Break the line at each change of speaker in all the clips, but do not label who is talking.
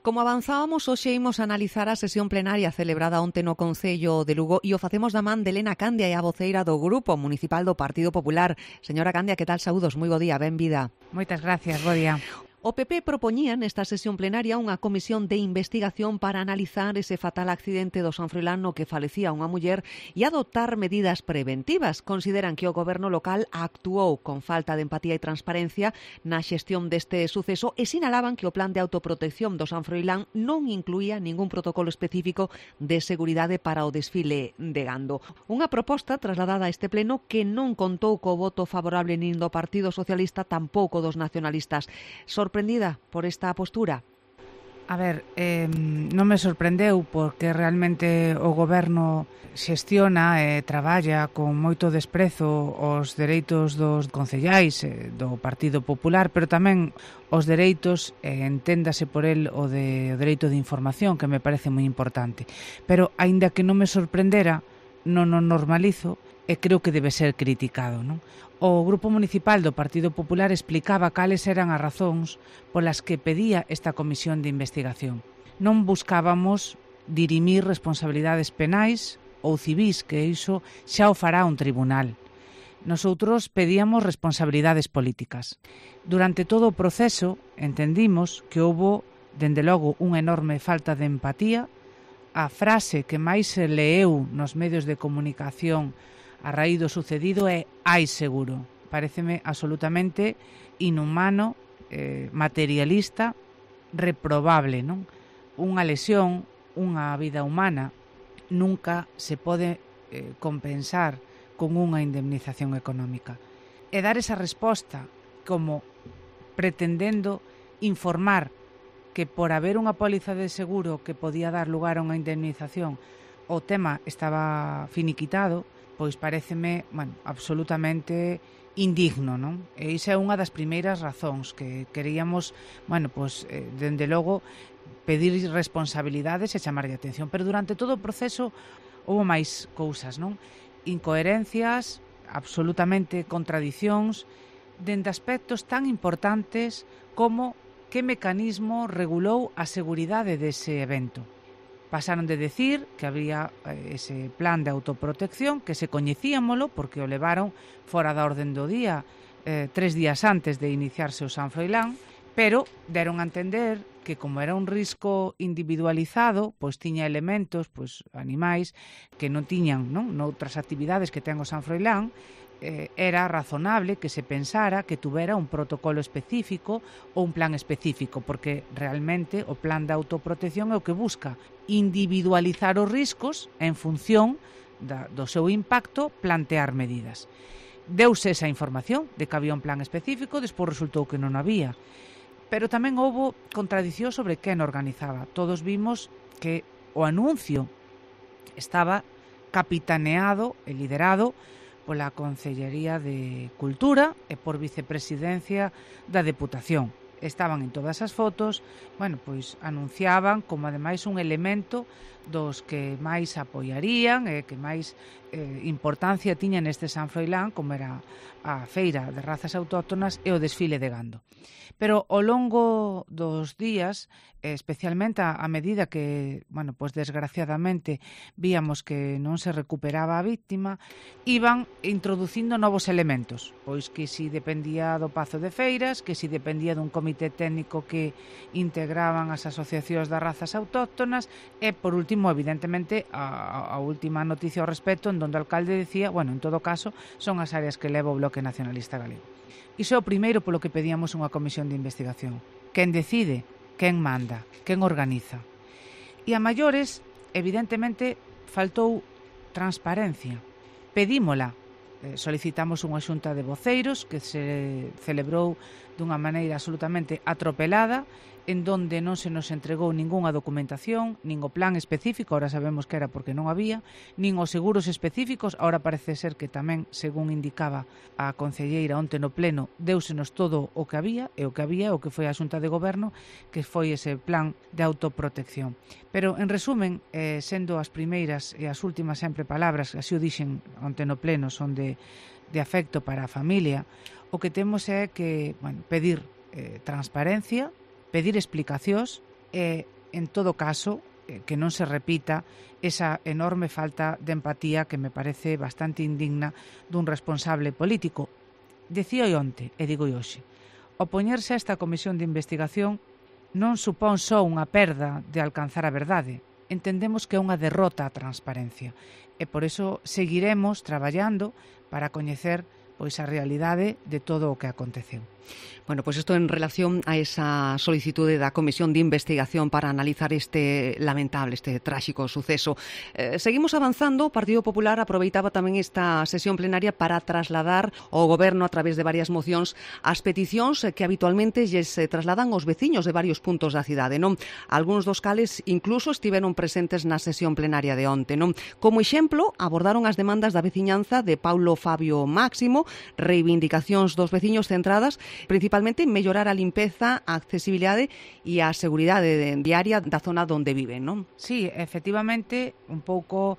Como avanzábamos, hoxe imos analizar a sesión plenaria celebrada onte no Concello de Lugo e o facemos da man de Elena Candia e a voceira do Grupo Municipal do Partido Popular. Señora Candia, que tal? Saúdos, moi bo día, benvida.
Moitas gracias, bo día.
O PP propoñía nesta sesión plenaria unha comisión de investigación para analizar ese fatal accidente do San Froilán no que falecía unha muller e adoptar medidas preventivas. Consideran que o goberno local actuou con falta de empatía e transparencia na xestión deste suceso e sinalaban que o plan de autoprotección do San Froilán non incluía ningún protocolo específico de seguridade para o desfile de gando. Unha proposta trasladada a este pleno que non contou co voto favorable nin do Partido Socialista, tampouco dos nacionalistas. Sorprendida por esta postura?
A ver, non me sorprendeu porque realmente o goberno xestiona e traballa con moito desprezo os dereitos dos concellais do Partido Popular, pero tamén os dereitos, enténdase por el o dereito de información, que me parece moi importante. Pero, aínda que non me sorprendera, non o normalizo e creo que debe ser criticado, non? O Grupo Municipal do Partido Popular explicaba cales eran as razóns polas que pedía esta comisión de investigación. Non buscábamos dirimir responsabilidades penais ou civís, que iso xa o fará un tribunal. Nosoutros pedíamos responsabilidades políticas. Durante todo o proceso entendimos que houbo, dende logo, unha enorme falta de empatía. A frase que máis se leeu nos medios de comunicación a raíz do sucedido é "hai seguro". Paréceme absolutamente inhumano, materialista, reprobable, non? Unha lesión, unha vida humana, nunca se pode compensar con unha indemnización económica. E dar esa resposta como pretendendo informar que por haber unha póliza de seguro que podía dar lugar a unha indemnización o tema estaba finiquitado, pois paréceme, absolutamente indigno, non? E iso é unha das primeiras razóns que queríamos, dende logo, pedir responsabilidades e chamarlle atención. Pero durante todo o proceso houve máis cousas, non? Incoherencias, absolutamente contradicións, dende aspectos tan importantes como que mecanismo regulou a seguridade dese evento. Pasaron de decir que había ese plan de autoprotección, que se coñecíamolo porque o levaron fora da orden do día 3 días antes de iniciarse o San Froilán, pero deron a entender que como era un risco individualizado, pois tiña elementos, animais que non tiñan, non, noutras actividades que ten o San Froilán, era razonable que se pensara que tuvera un protocolo específico ou un plan específico, porque realmente o plan de autoprotección é o que busca individualizar os riscos en función do seu impacto, plantear medidas. Deuse esa información de que había un plan específico, despois resultou que non había. Pero tamén houbo contradición sobre quen organizaba. Todos vimos que o anuncio estaba capitaneado e liderado pola Concellería de Cultura e por vicepresidencia da Deputación. Estaban en todas as fotos, anunciaban como ademais un elemento dos que máis apoiarían e que máis importancia tiña neste San Froilán, como era a feira de razas autóctonas e o desfile de gando. Pero ao longo dos días, especialmente a medida que, desgraciadamente víamos que non se recuperaba a víctima, iban introducindo novos elementos, pois que si dependía do Pazo de Feiras, que si dependía dun comité técnico que integraban as asociacións das razas autóctonas e, por último, evidentemente, a última noticia ao respecto, en donde o alcalde decía, en todo caso, son as áreas que leva o Bloque Nacionalista Galego. Iso é o primeiro polo que pedíamos unha comisión de investigación. Quen decide, quen manda, quen organiza. E a maiores, evidentemente, faltou transparencia. Pedímola. Solicitamos unha xunta de voceiros que se celebrou dunha maneira absolutamente atropelada, en donde non se nos entregou ningunha documentación, nin o plan específico, ahora sabemos que era porque non había, nin os seguros específicos, ahora parece ser que tamén, según indicaba a concelleira onte no pleno, deusenos todo o que había, e o que había, o que foi a xunta de goberno, que foi ese plan de autoprotección. Pero, en resumen, sendo as primeiras e as últimas sempre palabras, así o dixen onte no pleno, son de afecto para a familia, o que temos é que, pedir transparencia, pedir explicacións en todo caso, que non se repita esa enorme falta de empatía que me parece bastante indigna dun responsable político. Decía onte, e digo hoxe, opoñerse a esta comisión de investigación non supón só unha perda de alcanzar a verdade. Entendemos que é unha derrota á transparencia e por iso seguiremos traballando para coñecer pois a realidade de todo o que aconteceu.
Bueno, pues esto en relación a esa solicitude da Comisión de Investigación para analizar este lamentable, este tráxico suceso. Seguimos avanzando. O Partido Popular aproveitaba tamén esta sesión plenaria para trasladar ao Goberno a través de varias mocións as peticións que habitualmente lles trasladan os veciños de varios puntos da cidade, non? Algúns dos cales incluso estiveron presentes na sesión plenaria de onte, non? Como exemplo, abordaron as demandas da veciñanza de Paulo Fabio Máximo, reivindicacións dos veciños centradas principalmente en mellorar a limpeza, a accesibilidade e a seguridade diaria da zona onde viven, non?
Sí, efectivamente, un pouco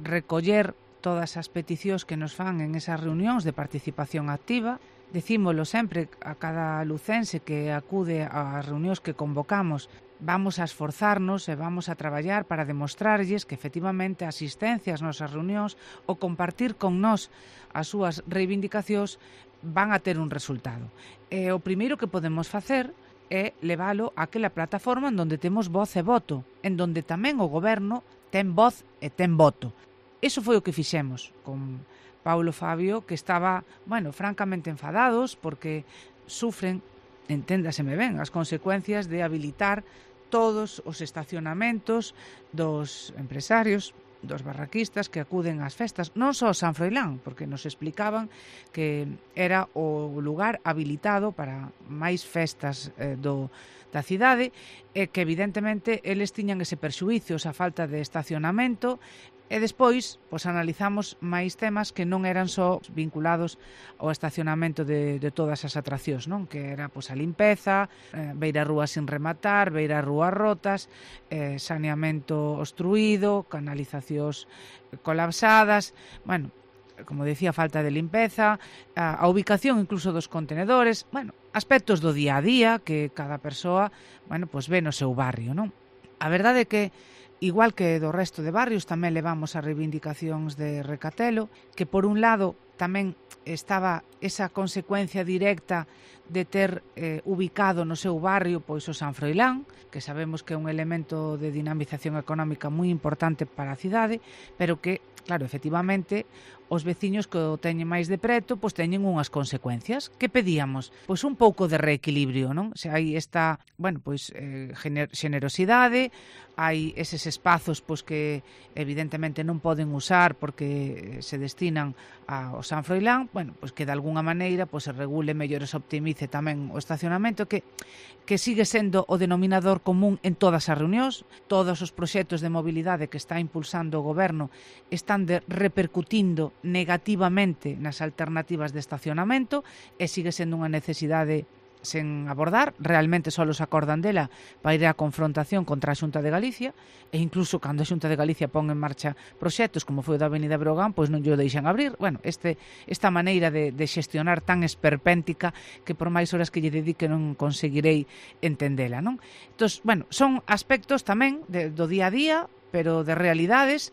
recoller todas as peticións que nos fan en esas reunións de participación activa. Decímolo sempre a cada lucense que acude ás reunións que convocamos. Vamos a esforzarnos e vamos a traballar para demostrarlles que efectivamente a asistencia ás nosas reunións o compartir con nós as súas reivindicacións van a ter un resultado. E o primeiro que podemos facer é leválo àquela plataforma en donde temos voz e voto, en donde tamén o goberno ten voz e ten voto. Iso foi o que fixemos con Paulo Fabio, que estaba, francamente enfadados porque sufren, enténdaseme ben, as consecuencias de habilitar todos os estacionamentos dos empresarios, dos barraquistas que acuden ás festas, non só San Froilán, porque nos explicaban que era o lugar habilitado para máis festas da cidade, e que evidentemente eles tiñan ese perxuízo, esa falta de estacionamento. E despois, analizamos máis temas que non eran só vinculados ao estacionamento de todas as atraccións, non? Que era a limpeza, beirarrúas sin rematar, beirarrúas rotas, saneamento obstruído, canalizacións colapsadas, como decía, falta de limpeza, a ubicación incluso dos contenedores, aspectos do día a día que cada persoa, ve no seu barrio, non? A verdade é que igual que do resto de barrios, tamén levamos as reivindicacións de Recatelo, que por un lado tamén estaba esa consecuencia directa de ter ubicado no seu barrio o San Froilán, que sabemos que é un elemento de dinamización económica moi importante para a cidade, pero que, claro, efectivamente, os veciños que o teñen máis de preto, teñen unhas consecuencias. Que pedíamos? Un pouco de reequilibrio, non? Se hai esta, generosidade, hai eses espazos que evidentemente non poden usar porque se destinan ao San Froilán, que de alguna maneira se regule mellor, se optimice tamén o estacionamento, que sigue sendo o denominador común en todas as reunións. Todos os proxectos de mobilidade que está impulsando o goberno están repercutindo negativamente nas alternativas de estacionamento e sigue sendo unha necesidade sen abordar. Realmente só os acordan dela para ir á confrontación contra a Xunta de Galicia, e incluso cando a Xunta de Galicia pon en marcha proxectos como foi o da Avenida Breogán, non lle o deixan abrir. Esta maneira de xestionar tan esperpéntica que por máis horas que lle dedique non conseguirei entendela, non? Entón, son aspectos tamén do día a día, pero de realidades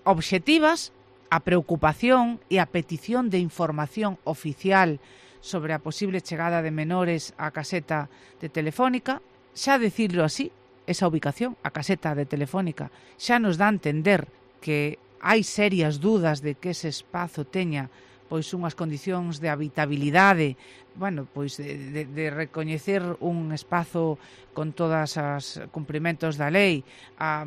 obxectivas, a preocupación e a petición de información oficial sobre a posible chegada de menores á caseta de Telefónica. Xa decirlo así, esa ubicación, a caseta de Telefónica, xa nos dá a entender que hai serias dudas de que ese espazo teña unhas condicións de habitabilidade, de recoñecer un espazo con todas as cumprimentos da lei, a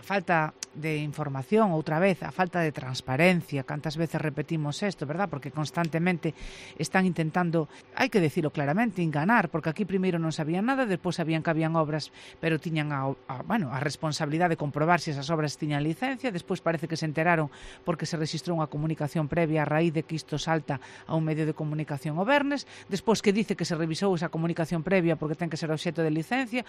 falta de información, outra vez, a falta de transparencia. Cantas veces repetimos isto, verdad? Porque constantemente están intentando, hai que decirlo claramente, enganar, porque aquí primeiro non sabían nada, despois sabían que habían obras, pero tiñan a responsabilidade de comprobar se esas obras tiñan licencia, despois parece que se enteraron porque se registrou unha comunicación previa a raíz de que isto salta a un medio de comunicación o vernes, despois que dice que se revisou esa comunicación previa porque ten que ser obxecto de licencia,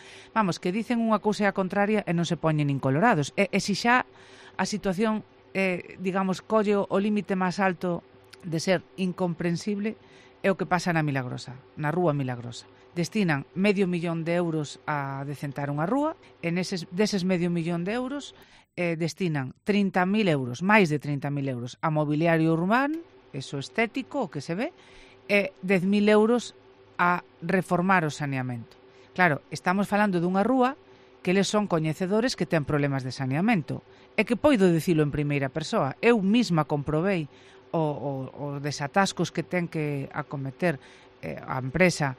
que dicen unha cousa e a contraria e non se poñen nin colorados. E se xa a situación, colle o límite máis alto de ser incomprensible, é o que pasa na Milagrosa, na Rúa Milagrosa, destinan €500.000 a decentar unha rúa, e deses €500.000 destinan €30.000, máis de €30.000 a mobiliario urbano, eso estético, o que se ve, e €10.000 a reformar o saneamento. Claro, estamos falando dunha rúa que eles son coñecedores que ten problemas de saneamento, e que poido dicilo en primeira persoa. Eu mesma comprobei os desatascos que ten que acometer a empresa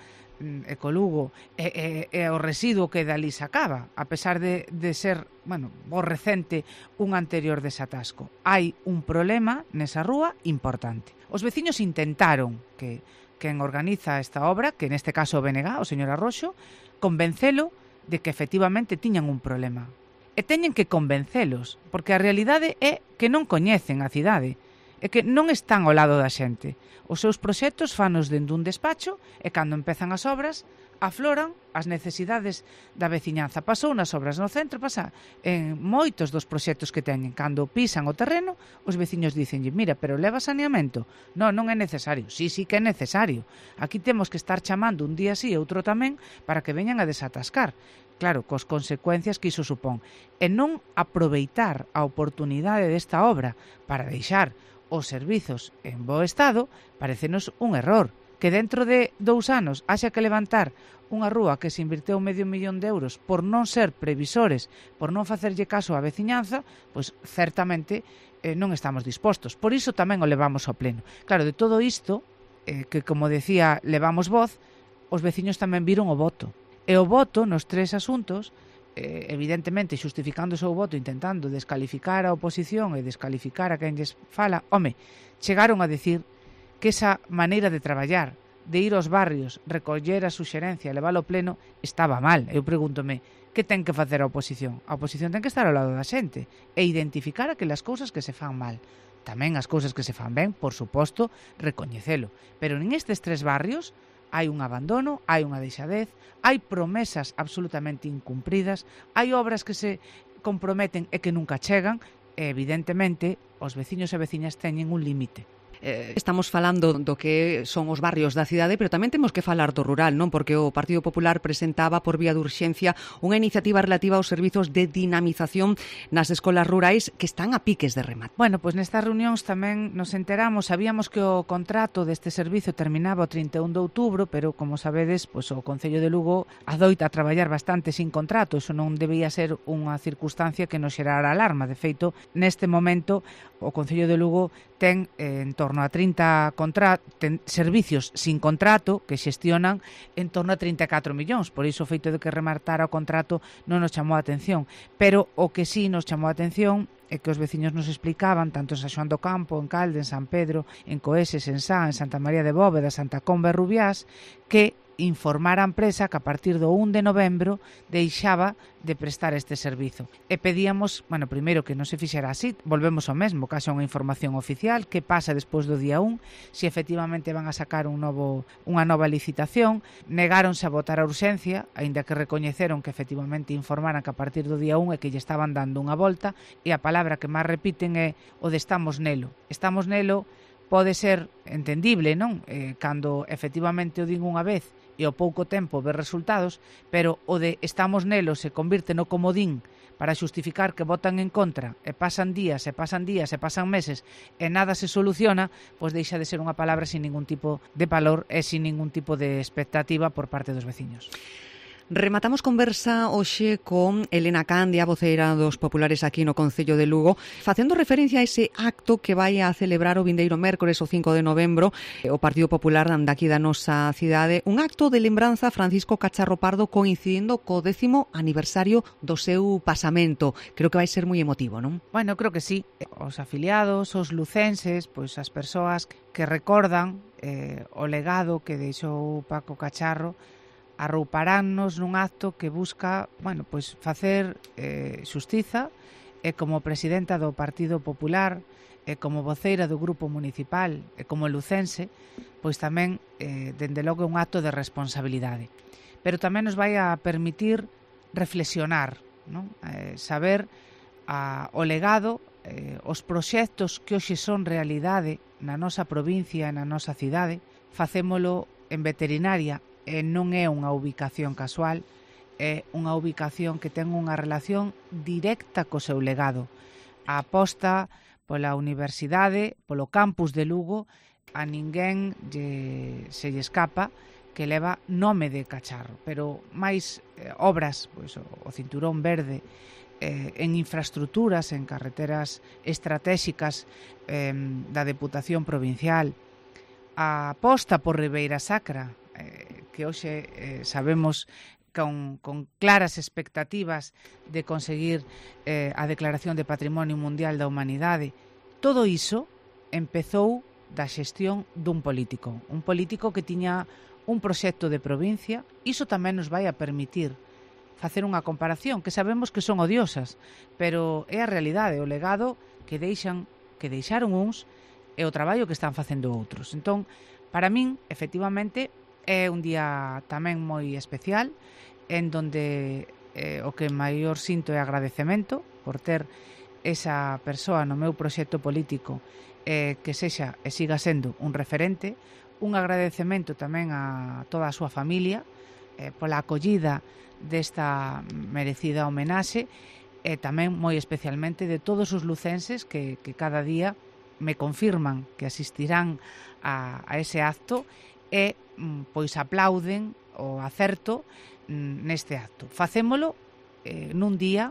Ecolugo e o residuo que dali sacaba, a pesar de ser, bo recente un anterior desatasco. Hai un problema nesa rúa importante. Os veciños intentaron que quen organiza esta obra, que neste caso o BNG, o señor Arroxo, convencelo de que efectivamente tiñan un problema. E teñen que convencelos, porque a realidade é que non coñecen a cidade, é que non están ao lado da xente. Os seus proxectos fanos dentro dun despacho e cando empezan as obras afloran as necesidades da veciñanza. Pasou nas obras no centro, pasa en moitos dos proxectos que teñen. Cando pisan o terreno, os veciños dicenlle, mira, pero leva saneamento? Non é necesario. Sí que é necesario. Aquí temos que estar chamando un día sí e outro tamén para que veñan a desatascar. Claro, cos consecuencias que iso supón. E non aproveitar a oportunidade desta obra para deixar os servizos en bo estado, parecenos un error. Que dentro de 2 anos haxa que levantar unha rúa que se invirteu €500.000 por non ser previsores, por non facerlle caso á veciñanza, pois certamente non estamos dispostos. Por iso tamén o levamos ao pleno. Claro, de todo isto, que como decía, levamos voz, os veciños tamén viron o voto. E o voto nos 3 asuntos, evidentemente xustificando o seu voto, intentando descalificar a oposición e descalificar a quen lles fala, chegaron a decir que esa maneira de traballar, de ir aos barrios, recoller a suxerencia e leválo ao pleno, estaba mal. Eu pregúntome, que ten que facer a oposición? A oposición ten que estar ao lado da xente e identificar aquelas cousas que se fan mal. Tamén as cousas que se fan ben, por suposto, recoñecelo. Pero en estes 3 barrios hai un abandono, hai unha deixadez, hai promesas absolutamente incumpridas, hai obras que se comprometen e que nunca chegan, e evidentemente os veciños e veciñas teñen un límite.
Estamos falando do que son os barrios da cidade, pero tamén temos que falar do rural, non? Porque o Partido Popular presentaba por vía de urxencia unha iniciativa relativa aos servizos de dinamización nas escolas rurais que están a piques de remate.
Bueno, pois nestas reunións tamén nos enteramos, sabíamos que o contrato deste servizo terminaba o 31 de outubro, pero como sabedes, pois o Concello de Lugo adoita a traballar bastante sin contrato, iso non debía ser unha circunstancia que nos xerara alarma. De feito, neste momento o Concello de Lugo ten en torno a 30 servicios sin contrato que xestionan en torno a 34 millóns. Por iso o feito de que remartara o contrato non nos chamou a atención. Pero o que sí nos chamou a atención é que os veciños nos explicaban, tanto en San Xoán do Campo, en Calde, en San Pedro, en Coeses, en Sá, en Santa María de Bóveda, Santa Comba e Rubiás, que informar a empresa que a partir do 1 de novembro deixaba de prestar este servizo. E pedíamos, primeiro que non se fixera así, volvemos ao mesmo, que haxa unha información oficial, que pasa despois do día 1, se efectivamente van a sacar unha nova licitación. Negáronse a votar a urxencia, aínda que recoñeceron que efectivamente informaran que a partir do día 1 e que lle estaban dando unha volta, e a palabra que máis repiten é o de estamos nelo. Estamos nelo pode ser entendible, non? Cando efectivamente o din unha vez e ao pouco tempo ver resultados, pero o de estamos nelo se convirte no comodín para xustificar que votan en contra e pasan días e pasan meses e nada se soluciona, pois deixa de ser unha palabra sin ningún tipo de valor e sin ningún tipo de expectativa por parte dos veciños.
Rematamos conversa hoxe con Elena Candia, voceira dos populares aquí no Concello de Lugo, facendo referencia a ese acto que vai a celebrar o vindeiro mércores, o 5 de novembro, o Partido Popular daqui da nosa cidade, un acto de lembranza a Francisco Cacharro Pardo coincidindo co 10º aniversario do seu pasamento. Creo que vai ser moi emotivo, non?
Bueno, creo que sí. Os afiliados, os lucenses, pois as persoas que recordan o legado que deixou Paco Cacharro, arrouparannos nun acto que busca, facer xustiza, e como presidenta do Partido Popular, e como voceira do grupo municipal, e como lucense, pois tamén, dende logo, un acto de responsabilidade. Pero tamén nos vai a permitir reflexionar, non? Saber o legado, os proxectos que hoxe son realidade na nosa provincia e na nosa cidade. Facémolo en veterinaria non é unha ubicación casual, é unha ubicación que ten unha relación directa co seu legado. A aposta pola universidade, polo campus de Lugo, a ninguén se lle escapa que leva nome de Cacharro, pero máis obras, pois, o Cinturón Verde, en infraestructuras, en carreteras estratégicas da Deputación Provincial, a aposta por Ribeira Sacra, que hoxe sabemos con claras expectativas de conseguir a Declaración de Patrimonio Mundial da Humanidade. Todo iso empezou da xestión dun político, que tiña un proxecto de provincia. Iso tamén nos vai a permitir facer unha comparación, que sabemos que son odiosas, pero é a realidade, o legado que deixaron uns e o traballo que están facendo outros. Entón, para min, efectivamente, é un día tamén moi especial, en donde o que maior sinto é agradecemento por ter esa persoa no meu proxecto político que sexa e siga sendo un referente, un agradecemento tamén a toda a súa familia pola acollida desta merecida homenaxe e tamén moi especialmente de todos os lucenses que cada día me confirman que asistirán a ese acto e pois aplauden o acerto neste acto. Facémolo nun día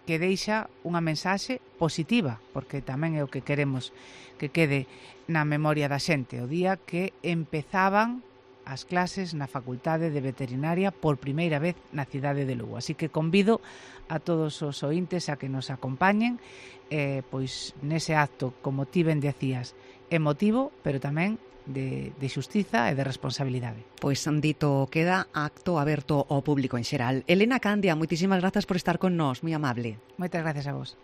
que deixa unha mensaxe positiva, porque tamén é o que queremos que quede na memoria da xente, o día que empezaban as clases na Facultade de Veterinaria por primeira vez na cidade de Lugo. Así que convido a todos os ointes a que nos acompañen pois nese acto, como ti ben decías, emotivo, pero tamén de xustiza e de responsabilidade.
Pois dito queda, acto aberto ao público en xeral. Elena Candia, moitísimas grazas por estar con nós, moi amable.
Moitas gracias a vos.